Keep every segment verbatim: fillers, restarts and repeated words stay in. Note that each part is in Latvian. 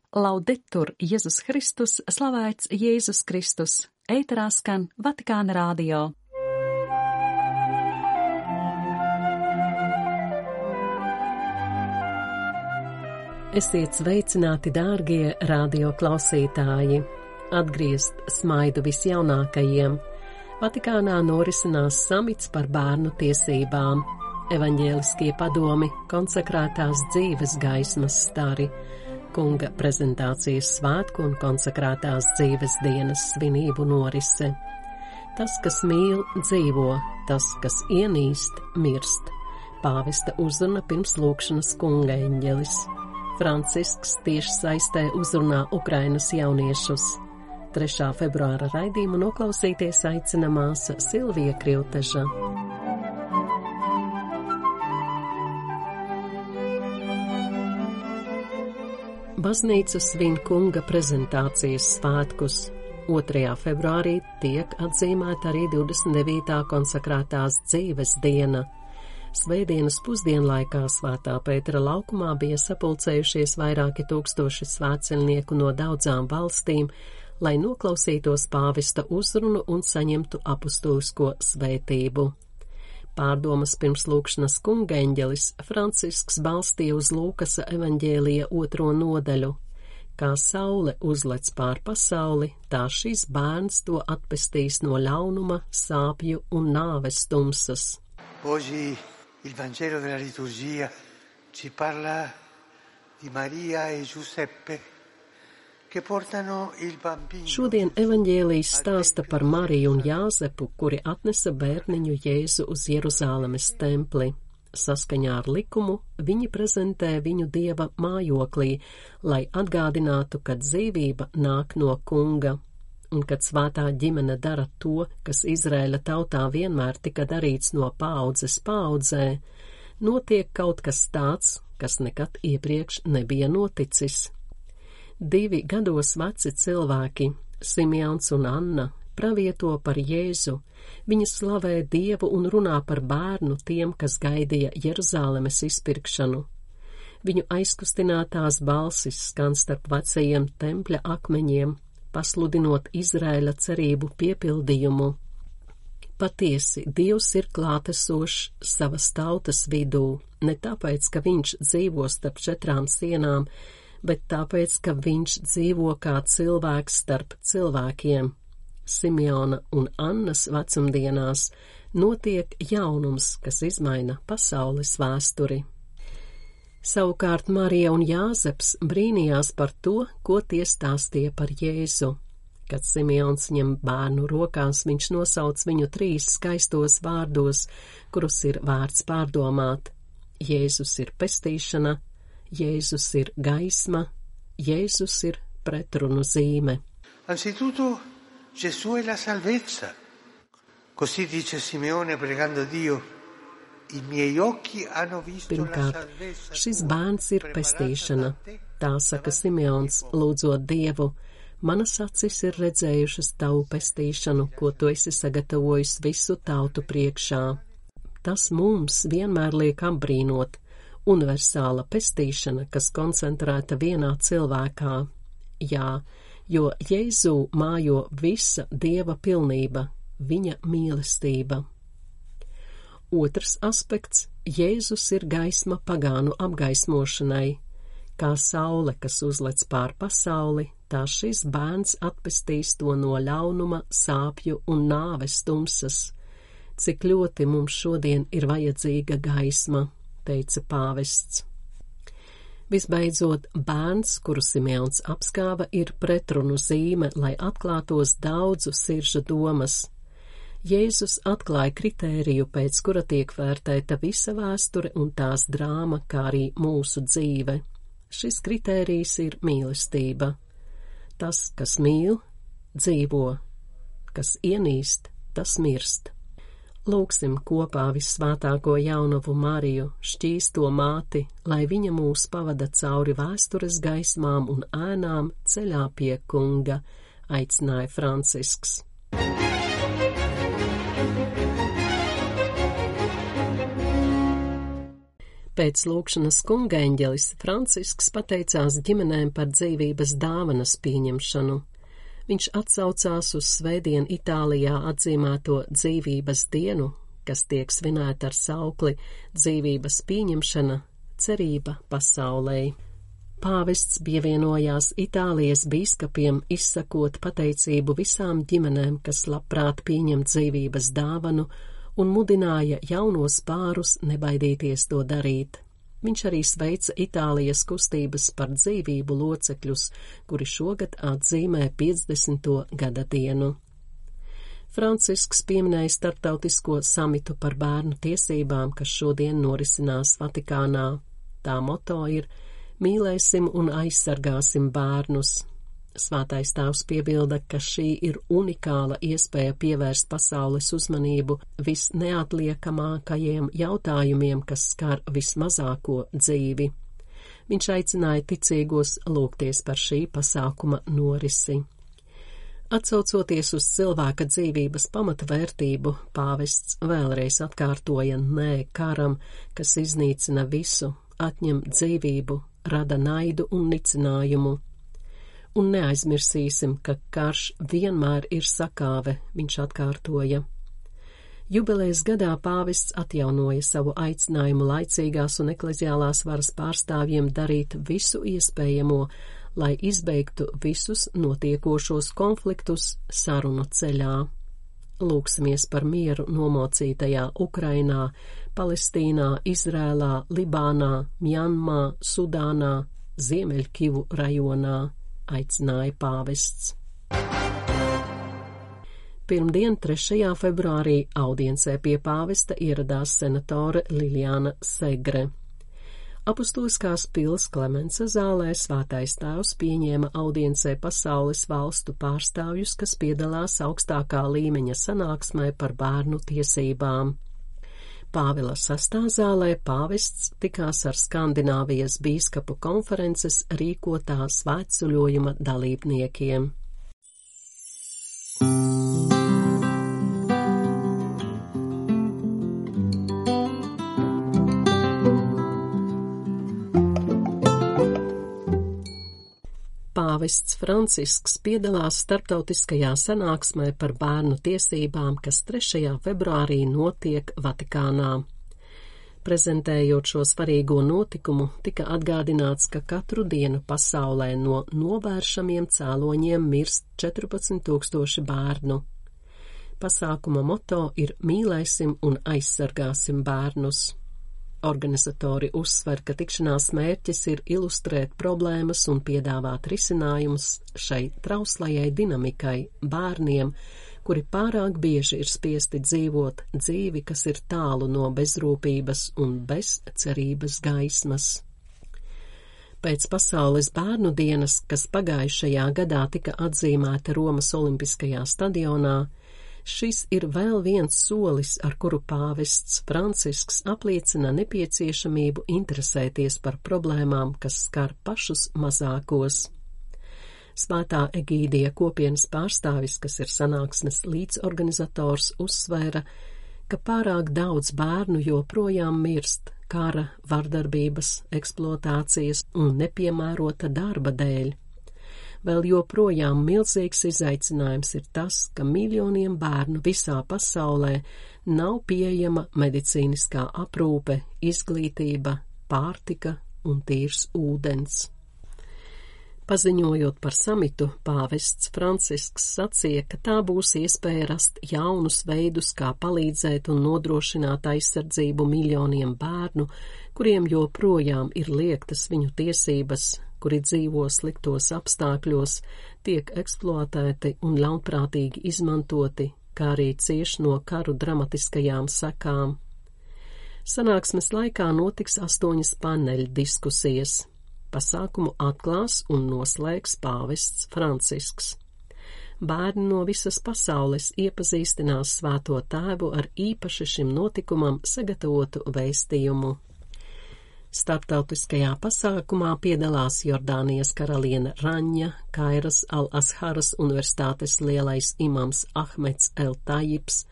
Laudetur Jēzus Kristus, slavēts Jēzus Kristus, ēterā skan Vatikāna radio. Esiet sveicināti, dārgie radio klausītāji! Atgriezt smaidu visjaunākajiem. Vatikānā norisinās samits par bērnu tiesībām. Evaņģēliskie padomi, konsekrētās dzīves gaismas stari, kunga prezentācijas svētku un konsekrētās dzīves dienas svinību norise. Tas, kas mīl, dzīvo, tas, kas ienīst, mirst. Pāvesta uzruna pirms lūkšanas kunga eņģelis. Francisks tieši saistē uzrunā Ukrainas jauniešus. trešā februāra raidījumu noklausīties aicina māsa Silvija Krilteža. Baznīca svin kunga prezentācijas svētkus. otrajā februārī tiek atzīmēta arī divdesmit devītā konsekrētās dzīves diena. Svētdienas pusdienlaikā Svētā Pētera laukumā bija sapulcējušies vairāki tūkstoši svētceļnieku no daudzām valstīm, lai noklausītos pāvesta uzrunu un saņemtu apustulisko svētību. Pārdomas pirms lūkšanas kunga eņģelis Francisks balstīja uz Lūkasa evaņģēlija otro nodaļu. Kā saule uzlec pār pasauli, tā šis bērns to atpestīs no ļaunuma, sāpju un nāves tumsas. Oggi il Vangelo della liturgia ci parla di Maria e Giuseppe che portano il bambino. Šodien evaņģēlijs stāsta par Mariju un Jāzepu, kuri atnesa bērniņu Jēzu uz Jeruzālemes templi. Saskaņā ar likumu viņi prezentē viņu Dieva mājoklī, lai atgādinātu, ka dzīvība nāk no kunga. Un kad svētā ģimene dara to, kas Izraēla tautā vienmēr tika darīts no paaudzes paaudzē, notiek kaut kas tāds, kas nekad iepriekš nebija noticis. Divi gados veci cilvēki, Simeons un Anna, pravieto par Jēzu. Viņi slavē Dievu un runā par bērnu tiem, kas gaidīja Jeruzālemes izpirkšanu. Viņu aizkustinātās balsis skan starp vecajiem tempļa akmeņiem, pasludinot Izraēla cerību piepildījumu. Patiesi, Dievs ir klātesošs savas tautas vidū, ne tāpēc, ka viņš dzīvo starp četrām sienām, bet tāpēc, ka viņš dzīvo kā cilvēks starp cilvēkiem. Simeona un Annas vecumdienās notiek jaunums, kas izmaina pasaules vēsturi. Savukārt Marija un Jāzeps brīnījās par to, ko tie stāstīja par Jēzu. Kad Simeons ņem bērnu rokās, viņš nosauc viņu trīs skaistos vārdos, kurus ir vērts pārdomāt. Jēzus ir pestīšana, Jēzus ir gaisma, Jēzus ir pretrunu zīme. Anzitutto, Gesù è la salvezza. Così dice Simeone pregando Dio. Pirmkārt, šis bērns ir pestīšana. Tā saka Simeons, lūdzot Dievu. Manas acis ir redzējušas tavu pestīšanu, ko tu esi sagatavojis visu tautu priekšā. Tas mums vienmēr liek apbrīnot. Universāla pestīšana, kas koncentrēta vienā cilvēkā. Jā, jo Jēzū mājo visa Dieva pilnība, viņa mīlestība. Otrs aspekts – Jēzus ir gaisma pagānu apgaismošanai. Kā saule, kas uzlec pār pasauli, tā šis bērns atpestīs to no ļaunuma, sāpju un nāves tumsas. Cik ļoti mums šodien ir vajadzīga gaisma, teica pāvests. Visbeidzot, bērns, kuru Simeons apskāva, ir pretrunu zīme, lai atklātos daudzu siržu domas. Jēzus atklāja kritēriju, pēc kura tiek vērtēta visa vēsture un tās drāma, kā arī mūsu dzīve. Šis kritērijs ir mīlestība. Tas, kas mīl, dzīvo, kas ienīst, tas mirst. Lūksim kopā vissvētāko jaunavu Mariju, šķīsto māti, lai viņa mūs pavada cauri vēstures gaismām un ēnām ceļā pie kunga, aicināja Francisks. Pēc lūkšanas kungaeņģelis Francisks pateicās ģimenēm par dzīvības dāvanas pieņemšanu. Viņš atsaucās uz svētdien Itālijā atzīmēto dzīvības dienu, kas tiek svinēta ar saukli dzīvības pieņemšana, cerība pasaulē. Pāvests pievienojās Itālijas bīskapiem, izsakot pateicību visām ģimenēm, kas labprāt pieņem dzīvības dāvanu, un mudināja jaunos pārus nebaidīties to darīt. Viņš arī sveica Itālijas kustības par dzīvību locekļus, kuri šogad atzīmē piecdesmito gada dienu. Francisks pieminēja starptautisko samitu par bērnu tiesībām, kas šodien norisinās Vatikānā. Tā moto ir mīlēsim un aizsargāsim bērnus. Svētais tēvs piebilda, ka šī ir unikāla iespēja pievērst pasaules uzmanību visneatliekamākajiem jautājumiem, kas skar vismazāko dzīvi. Viņš aicināja ticīgos lūgties par šī pasākuma norisi. Atsaucoties uz cilvēka dzīvības pamatvērtību, pāvests vēlreiz atkārtoja nē karam, kas iznīcina visu, atņem dzīvību, rada naidu un nicinājumu. Un neaizmirsīsim, ka karš vienmēr ir sakāve, viņš atkārtoja. Jubilejas gadā pāvests atjaunoja savu aicinājumu laicīgās un ekleziālās varas pārstāvjiem darīt visu iespējamo, lai izbeigtu visus notiekošos konfliktus sarunu ceļā. Lūksimies par mieru nomocītajā Ukrainā, Palestīnā, Izrēlā, Libānā, Mjanmā, Sudānā, Ziemeļkivu rajonā, aicināja pāvests. Pirmdien, trešajā februārī, audiencē pie pāvesta ieradās senatore Liljana Segre. Apustuliskās pils Klemensa zālē svētais tēvs pieņēma audiencē pasaules valstu pārstāvjus, kas piedalās augstākā līmeņa sanāksmē par bērnu tiesībām. Pāvila sastā zālē pāvests tikās ar Skandināvijas bīskapu konferences rīkotā svētceļojuma dalībniekiem. Pāvests Francisks piedalās starptautiskajā sanāksmē par bērnu tiesībām, kas trešajā februārī notiek Vatikānā. Prezentējot šo svarīgo notikumu, tika atgādināts, ka katru dienu pasaulē no novēršamiem cēloņiem mirst četrpadsmit tūkstoši bērnu. Pasākuma moto ir mīlēsim un aizsargāsim bērnus. Organizatori uzsver, ka tikšanās mērķis ir ilustrēt problēmas un piedāvāt risinājumus šai trauslajai dinamikai bērniem, kuri pārāk bieži ir spiesti dzīvot dzīvi, kas ir tālu no bezrūpības un bez cerības gaismas. Pēc Pasaules bērnu dienas, kas pagājušajā gadā tika atzīmēta Romas Olimpiskajā stadionā, šis ir vēl viens solis, ar kuru pāvests Francisks apliecina nepieciešamību interesēties par problēmām, kas skar pašus mazākos. Svētā Egīdija kopienas pārstāvis, kas ir sanāksmes līdzorganizators, uzsvēra, ka pārāk daudz bērnu joprojām mirst kara, vardarbības, eksploatācijas un nepiemērota darba dēļ. Vēl joprojām milzīgs izaicinājums ir tas, ka miljoniem bērnu visā pasaulē nav pieejama medicīniskā aprūpe, izglītība, pārtika un tīrs ūdens. Paziņojot par samitu, pāvests Francisks sacīja, ka tā būs iespēja rast jaunus veidus, kā palīdzēt un nodrošināt aizsardzību miljoniem bērnu, kuriem joprojām ir liektas viņu tiesības, kuri dzīvo sliktos apstākļos, tiek eksploatēti un ļaunprātīgi izmantoti, kā arī cieš no karu dramatiskajām sekām. Sanāksmes laikā notiks astoņas paneļa diskusijas. Pasākumu atklās un noslēgs pāvests Francisks. Bērni no visas pasaules iepazīstinās Svēto Tēvu ar īpaši šim notikumam sagatavotu vēstījumu. Starptautiskajā pasākumā piedalās Jordānijas karaliene Raņa, Kairas al-Asharas universitātes lielais imams Ahmeds el-Tajibs,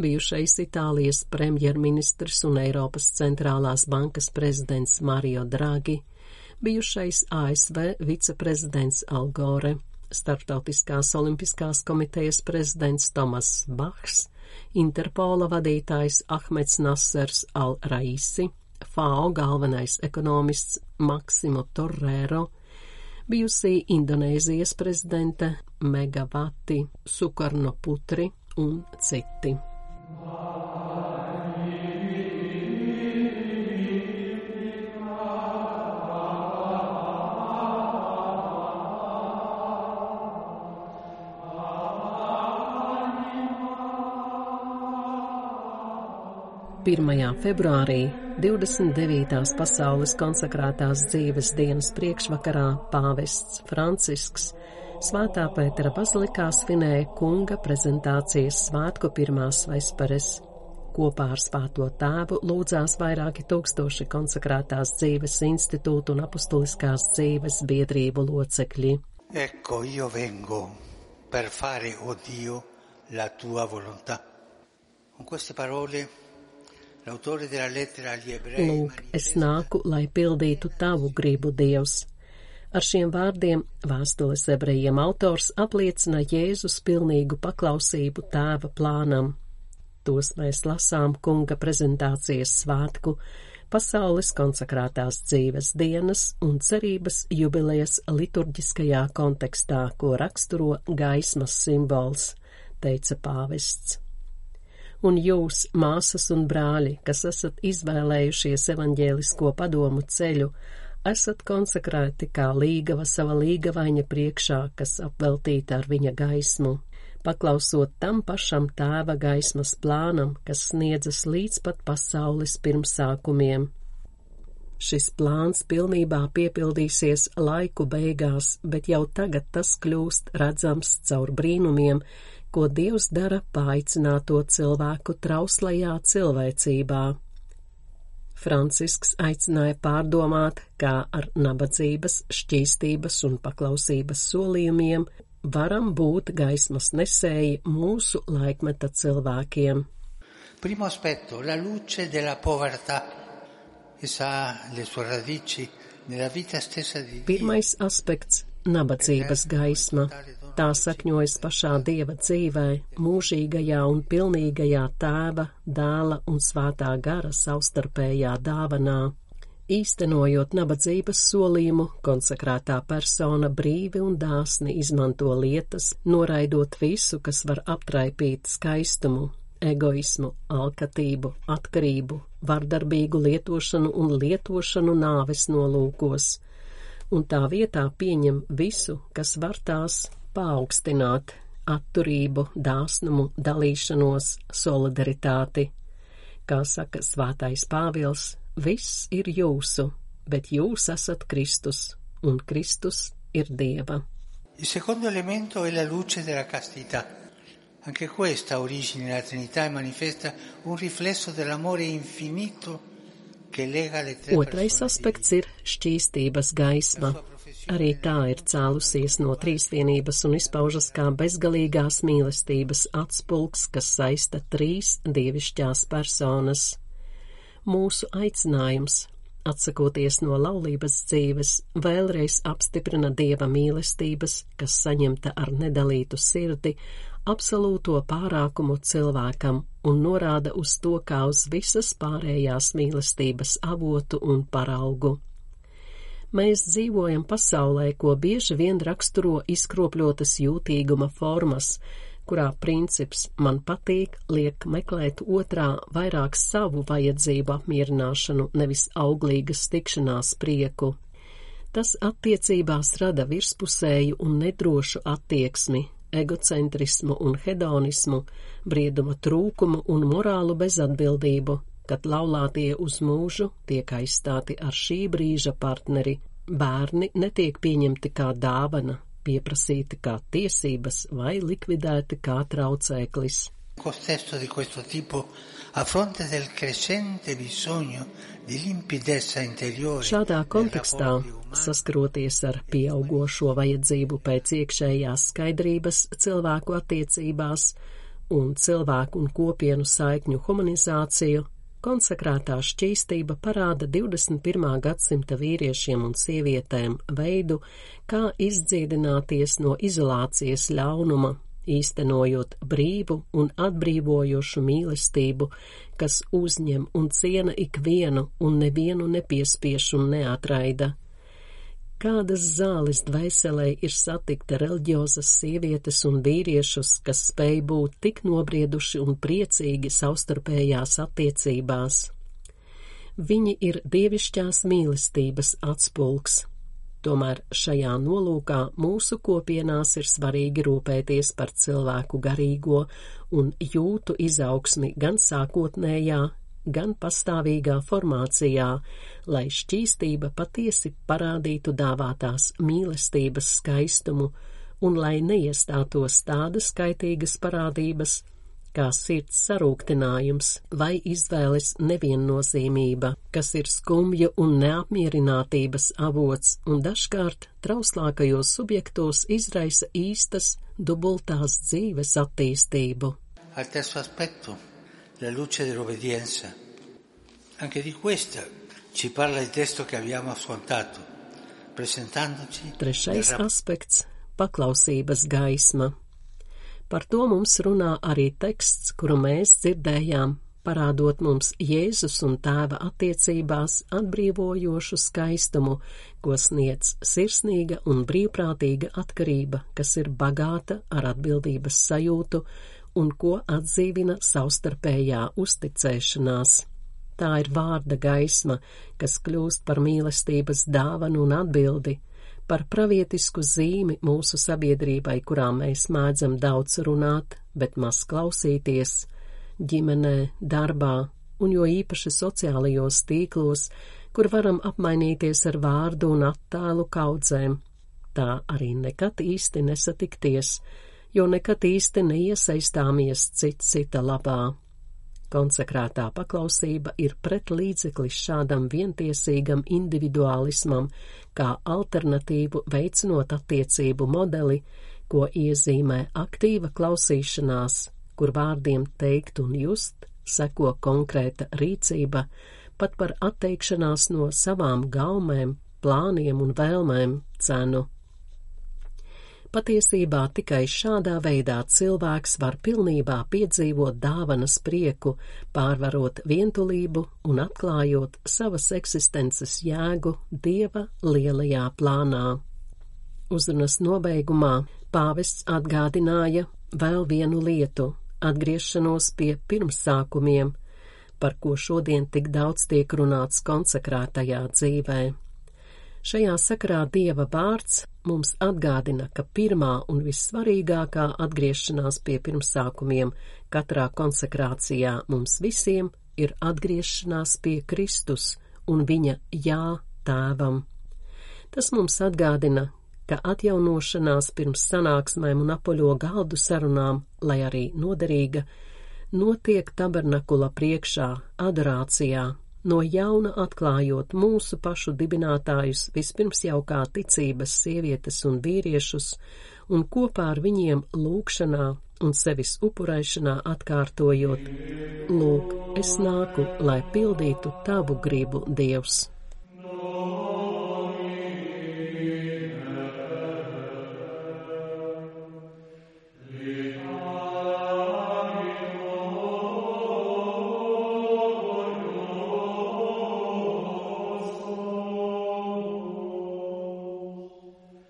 bijušais Itālijas premjerministrs un Eiropas centrālās bankas prezidents Mario Draghi, bijušais A S V viceprezidents Al Gore, Starptautiskās olimpiskās komitejas prezidents Tomas Bachs, Interpola vadītājs Ahmeds Nasers al-Raisi, F A O galvenais ekonomists Maksimo Torrero, bijusī Indonēzijas prezidente Megawati Sukarnoputri un citi. pirmajā februārī, divdesmit devītās pasaules konsekrētās dzīves dienas priekšvakarā pāvests Francisks Svētā Pētera bazilikā svinēja kunga prezentācijas svētku pirmās vesperes. Kopā ar Svēto Tēvu lūdzās vairāki tūkstoši konsekrētās dzīves institūtu un apustuliskās dzīves biedrību locekļi. Ecco, io vengo per fare, o Dio, la tua volontà. Con queste parole Lūk, es nāku, lai pildītu tavu gribu, Dievs. Ar šiem vārdiem vēstules ebrejiem autors apliecina Jēzus pilnīgu paklausību Tēva plānam. Tos mēs lasām kunga prezentācijas svētku, pasaules konsekrētās dzīves dienas un cerības jubilejas liturģiskajā kontekstā, ko raksturo gaismas simbols, teica pāvests. Un jūs, māsas un brāļi, kas esat izvēlējušies evaņģēlisko padomu ceļu, esat konsekrēti kā līgava sava līgavaņa priekšā, kas apveltīta ar viņa gaismu, paklausot tam pašam Tēva gaismas plānam, kas sniedzas līdz pat pasaules pirmsākumiem. Šis plāns pilnībā piepildīsies laiku beigās, bet jau tagad tas kļūst redzams caur brīnumiem, ko Dievs dara paaicināto cilvēku trauslajā cilvēcībā. Francisks aicināja pārdomāt, kā ar nabadzības, šķīstības un paklausības solījumiem varam būt gaismas nesēji mūsu laikmeta cilvēkiem. Primo aspetto, la luce della povertà. Essa ha le sue radici nella vita stessa di Dio. Pirmais aspekts – nabadzības gaisma. Tā sakņojas pašā Dieva dzīvē, mūžīgajā un pilnīgajā Tēva, Dēla un Svētā gara savstarpējā dāvanā. Īstenojot nabadzības solījumu, konsekrētā persona brīvi un dāsni izmanto lietas, noraidot visu, kas var aptraipīt skaistumu, egoismu, alkatību, atkarību, vardarbīgu lietošanu un lietošanu nāves nolūkos, un tā vietā pieņem visu, kas var tās paaugstināt – atturību, dāsnumu, dalīšanos, solidaritāti. Kā saka Svētais Pāvils, viss ir jūsu, bet jūs esat Kristus, un Kristus ir Dieva. Il secondo elemento è la luce della castità. Anche questa origine nella Trinità e manifesta un riflesso dell'amore infinito che lega le tre persone. Otrais aspekts ir šķīstības gaisma. Arī tā ir cēlusies no trīsvienības un izpaužas kā bezgalīgās mīlestības atspulks, kas saista trīs dievišķās personas. Mūsu aicinājums, atsakoties no laulības dzīves, vēlreiz apstiprina Dieva mīlestības, kas saņemta ar nedalītu sirdi, absolūto pārākumu cilvēkam un norāda uz to kā uz visas pārējās mīlestības avotu un paraugu. Mēs dzīvojam pasaulē, ko bieži vien raksturo izkropļotas jūtīguma formas, kurā princips man patīk liek meklēt otrā vairāk savu vajadzību apmierināšanu, nevis auglīgas tikšanās prieku. Tas attiecībās rada virspusēju un nedrošu attieksmi, egocentrismu un hedonismu, brieduma trūkumu un morālu bezatbildību, kad laulātie uz mūžu tiek aizstāti ar šī brīža partneri, bērni netiek pieņemti kā dāvana, pieprasīti kā tiesības vai likvidēti kā traucēklis. Contesto di questo tipo, a fronte del crescente bisogno di limpidezza interiore. Šādā kontekstā, saskaroties ar pieaugošo vajadzību pēc iekšējās skaidrības cilvēku attiecībās un cilvēku un kopienu saikņu humanizāciju, konsekrētā šķīstība parāda divdesmit pirmā gadsimta vīriešiem un sievietēm veidu, kā izdziedināties no izolācijas ļaunuma, īstenojot brīvu un atbrīvojošu mīlestību, kas uzņem un ciena ikvienu un nevienu nepiespiež un neatraida. Kādas zāles dvēselē ir satikt reliģiozas sievietes un vīriešus, kas spēj būt tik nobrieduši un priecīgi savstarpējās attiecībās. Viņi ir dievišķās mīlestības atspulgs. Tomēr šajā nolūkā mūsu kopienās ir svarīgi rūpēties par cilvēku garīgo un jūtu izaugsmi gan sākotnējā, gan pastāvīgā formācijā, lai šķīstība patiesi parādītu dāvātās mīlestības skaistumu un lai neiestātos tādas kaitīgas parādības, kā sirds sarūktinājums vai izvēles neviennozīmība, kas ir skumju un neapmierinātības avots un dažkārt trauslākajos subjektos izraisa īstas dubultās dzīves attīstību. Al terzo aspetto, la luce dell'obbedienza. Anche di questa ci parla il testo che abbiamo ascoltato, presentandoci. Trešais aspekts – paklausības gaisma. Par to mums runā arī teksts, kuru mēs dzirdējām, parādot mums Jēzus un Tēva attiecībās atbrīvojošu skaistumu, ko sniedz sirsnīga un brīvprātīga atkarība, kas ir bagāta ar atbildības sajūtu un ko atdzīvina savstarpējā uzticēšanās. Tā ir vārda gaisma, kas kļūst par mīlestības dāvanu un atbildi, par pravietisku zīmi mūsu sabiedrībai, kurā mēs mēdzam daudz runāt, bet maz klausīties, ģimenē, darbā un jo īpaši sociālajos tīklos, kur varam apmainīties ar vārdu un attēlu kaudzēm. Tā arī nekad īsti nesatikties, jo nekad īsti neiesaistāmies cits cita labā. Konsekrētā paklausība ir pretlīdzeklis šādam vientiesīgam individuālismam, kā alternatīvu veicinot attiecību modeli, ko iezīmē aktīva klausīšanās, kur vārdiem teikt un just seko konkrēta rīcība, pat par atteikšanās no savām gaumēm, plāniem un vēlmēm cenu. Patiesībā tikai šādā veidā cilvēks var pilnībā piedzīvot dāvanas prieku, pārvarot vientulību un atklājot savas eksistences jēgu Dieva lielajā plānā. Uzrunas nobeigumā pāvests atgādināja vēl vienu lietu – atgriešanos pie pirmsākumiem, par ko šodien tik daudz tiek runāts konsekrētajā dzīvē. Šajā sakarā Dieva vārds mums atgādina, ka pirmā un vissvarīgākā atgriešanās pie pirmsākumiem katrā konsekrācijā mums visiem ir atgriešanās pie Kristus un viņa jā Tēvam. Tas mums atgādina, ka atjaunošanās pirms sanāksmēm un apaļo galdu sarunām, lai arī noderīga, notiek tabernakula priekšā, adorācijā, no jauna atklājot mūsu pašu dibinātājus vispirms jau kā ticības sievietes un vīriešus, un kopā ar viņiem lūgšanā un sevis upurēšanā atkārtojot: Lūk, es nāku, lai pildītu tavu gribu, Dievs.